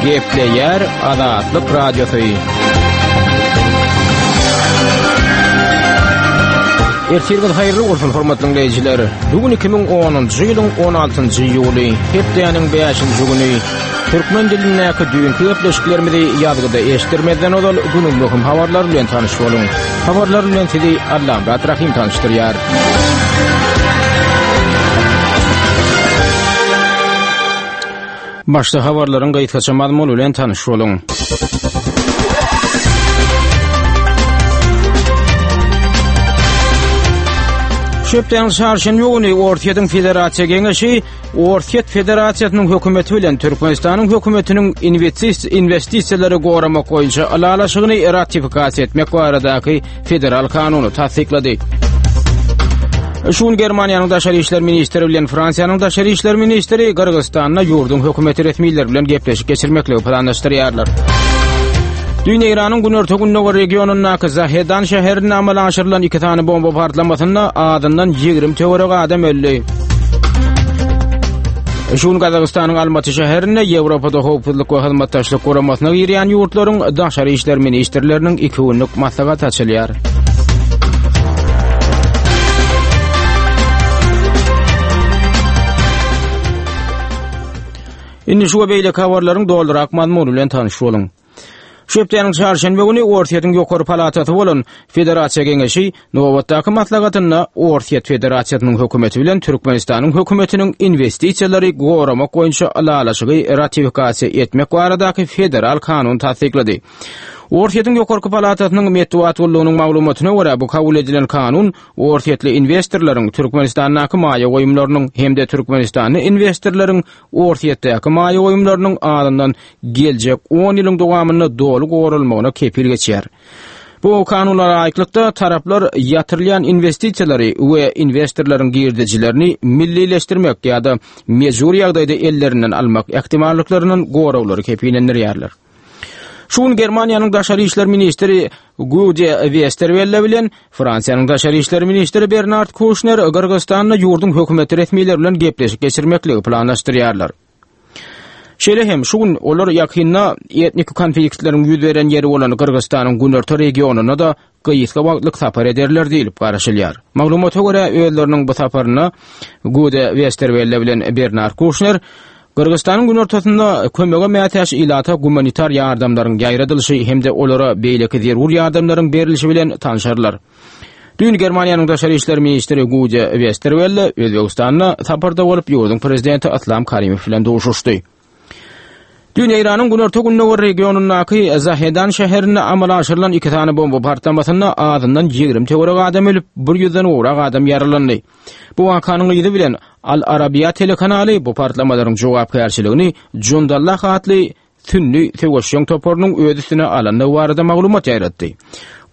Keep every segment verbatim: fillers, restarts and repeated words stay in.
Gepleýär Azatlyk Radiosy. Ertirňiz haýyrly bolsun hormatly dinleýjiler. Bu gün iki müň onunjy ýylyň on altynjy iýuly, hepdäniň bäşinji güni. Türkmen dilindäki düýnki gepleşiklerimizi ýazgyda eşitdirmezden ozal günüň möhüm habarlary bilen tanyş boluň. Habarlar bilen sizi Allamyrat Rahim tanyşdyrýar. Başda habarlaryň gysgaça mazmuny bilen tanyş boluň. Şu hepdäniň çarşenbe güni Orsýetiň Federasiýa Geňeşi Orsýet Federasiýasynyň hökümeti bilen Türkmenistanyň hökümetiniň investisiýalary goramak boýunça ylalaşygyny ratifikasiýa etmek baradaky federal kanuny tassyklady. Şu gün Germaniýanyň daşary işler ministri bilen Fransiýanyň daşary işler ministri Gyrgyzystanda ýurduň hökümeti resmileri bilen gepleşik geçirmekligi planlaşdyrýarlar. Dün Eýranyň günorta-gündogar regionyndaky Zahedan şäherinde amala aşyrylan iki sany bomba partlamasynda azyndan ýigrimi töweregi adam öldi. Şu gün Gazagystanyň Almaty şäherinde Ýewropada Howpsuzlyk we Hyzmatdaşlyk Guramasyna girýän ýurtlaryň daşary işler ministrleriniň iki günlük maslahaty açylýar. Indi şu we beýleki habarlaryň dolurak mazmuny bilen tanyş boluň. Şu hepdäniň çarşenbe güni Orsýetiň ýokary palatasy bolan Federasiýa Geňeşi nobatdaky maslahatynda Orsýet Federasiýasynyň hökümeti bilen Türkmenistanyň hökümetiniň investisiýalary goramak boýunça ylalaşygy ratifikasiýa etmek baradaky federal kanuny tassyklady. Orsýetiň ýokarky palatasynyň metbugat gullugynyň maglumatyna görä, bu kabul edilen kanun orsýetli investorlaryň Türkmenistandaky maýa goýumlarynyň hem-de Türkmenistanly investorlaryň Orsýetdäki maýa goýumlarynyň azyndan geljek on ýylyň dowamynda doly goralmagyna kepil geçýär. Bu kanuna laýyklykda taraplar ýatyrylýan investisiýalary we investorlaryň girdejilerini millileşdirmek ýa-da mejbur ýagdaýda ellerinden almak ähtimallyklaryndan goraglary kepillendirýärler. Şu gün Germaniýanyň daşary işler ministri Gude Westerwelle bilen Fransiýanyň daşary işler ministri Bernard Kouchner Gyrgyzystanda ýurduň hökümeti resmileri bilen gepleşik geçirmekligi planlaşdyrýarlar. Şeýle hem şu gün olar ýakynda etnik konfliktleriň ýüz beren ýeri bolan Gyrgyzystanyň günorta regionyna da gysga wagtlyk sapar ederler diýilip garaşylýar. Maglumata görä özleriniň bu saparyna Gude Westerwelle bilen Bernard Kouchner Gyrgyzystanyň günortasynda kömege mätäç ilata gumanitar ýardamlaryň ýaýradylyşy hem-de olara beýleki zerur ýardamlaryň berilişi bilen tanşarlar. Dün Germaniýanyň daşary işler ministri Gude Westerwelle Özbegistanda saparda bolup ýurduň prezidenti Islam Karimow bilen duşuşdy. Dün Eýranyň günorta-gündogar regionyndaky Zahedan şäherinde amala aşyrylan iki sany bomba partlamasynda azyndan ýigrimi töweregi adam ölüp, bir ýüzden gowrak adam ýaralandy. Bu wakanyň yzy bilen Al Arabiya telekanaly bu partlamalaryň jogapkärçiligini Jundallah atly sünni söweşjeň toparynyň öz üstüne alandygy barada maglumat ýaýratdy.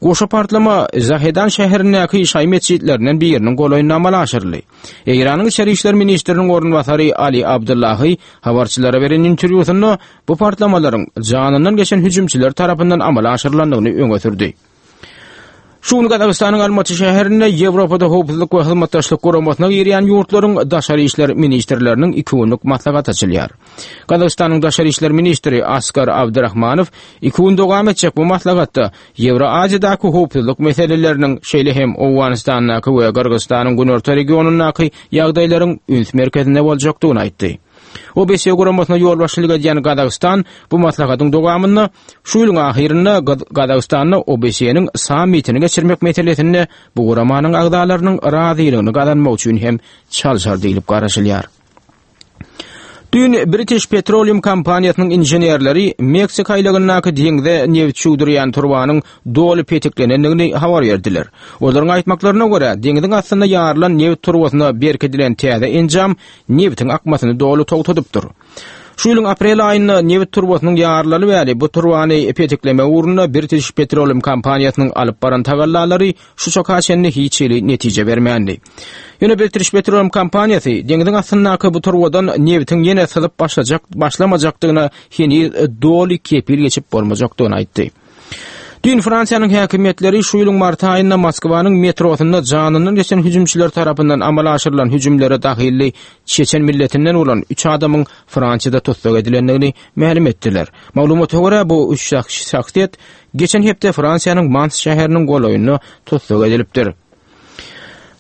Goşa partlama Zahedan şäherindäki şaý metjitlerinden biriniň golaýynda amala aşyryldy. Eýranyň içeri işler ministriniň orunbasary Ali Abdullahi habarçylara beren interwýusynda bu partlamalaryň janyndan geçen hüjümçiler tarapyndan amala aşyrylandygyny öňe sürdi. Şu gün Gazagystanyň Almaty şäherinde Ýewropada Howpsuzlyk we Hyzmatdaşlyk Guramasyna girýän ýurtlaryň daşary işler ministrleriniň iki günlük maslahaty açylýar. Gazagystanyň daşary işler ministri Askar Abdurrahmanow iki gün dowam etjek bu maslahatda Ýewroaziýadaky howpsuzlyk meseleleriniň, şeýle hem Owganystandaky we Gyrgyzystanyň günorta regionyndaky ýagdaýlaryň üns merkezinde boljakdygyny aýtdy. O B S guramasyna ýolbaşçylyk edýän Gazagystan bu maslahatyň dowamynda şu ýylyň ahyrynda Gaz-, Gazagystanda O B S-niň sammitini geçirmek meselesinde bu guramanyň agzalarynyň razylygyny gazanmak üçin hem çalşar diýilip garaşylýar. Dün British Petroleum kompaniýasynyň inženerleri Meksika aýlagyndaky deňze neft çüwdürýän turbanyň doly petiklenendigini habar berdiler. Olaryň aýtmaklaryna görä, deňziň astynda ýarylan neft turbasyna berkidilen täze enjam neftiň akmasyny doly togtadypdyr. Şu ýylyň aprel aýynda neft turbasynyň ýarylaly bäri bu turbany petiklemek ugrunda British Petroleum kompaniýasynyň alyp baran tagallalary şu çaka çenli hiç hili netije bermändi. Ýöne British Petroleum kompaniýasy deňziň astyndaky bu turbadan neftiň ýene syzyp başlajak, başlamajakdygyna heniz doly kepil geçip bolmajakdygyny aýtdy. Düýn Fransiýanyň häkimiýetleri şu ýylyň mart aýynda Moskwanyň metrosynda janyndan geçen hüjümçiler tarapyndan amala aşyrylan hüjümlere dahilli çeçen milletinden bolan üç adamyň Fransiýada tussag edilendigini mälim etdiler. Maglumata görä, bu üç şahsyýet geçen hepde Fransiýanyň Mans şäheriniň golaýynda tussag edilipdir.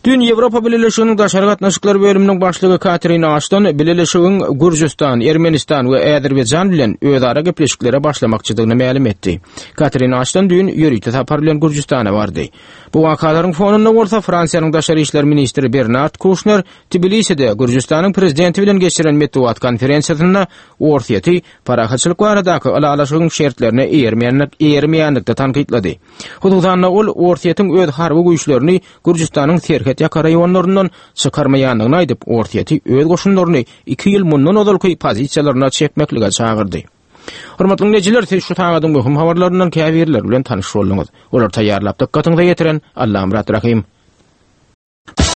Düýn Ýewropa Bileleşiginiň daşary gatnaşyklar bölüminiň başlygy Katrin Aşton Bileleşigiň Gürjüstan, Ermenistan we Azerbaýjan bilen özara gepleşiklere başlamakçydygyny mälim etdi. Katrin Aşton düýn ýörite sapar bilen Gürjüstana bardy. Bu wakalaryň fonunda bolsa Fransiýanyň daşary işler ministri Bernard Kuşner Tbiliside Gürjüstanyň prezidenti bilen geçiren metbugat konferensiýasynda Orsýeti parahatçylyk baradaky ylalaşygyň şertlerine eýermeýänlik eýermeýänlikde tankytlady. Hususan-da ol Orsýetiň öz harby güýçlerini Gürjüstanyň serhet ýaka raýonlaryndan çykarmaýandygyny aýdyp, Orsýeti öz goşunlaryny iki ýyl mundan ozalky pozisiýalaryna çekmeklige çagyrdy. Hormatly dinleýjiler, siz şu sagadyň möhüm habarlaryndan käbirleri bilen tanyş bolduňyz. Olar taýýarlap dykgatyňyza ýetiren Allamyrat Rahim.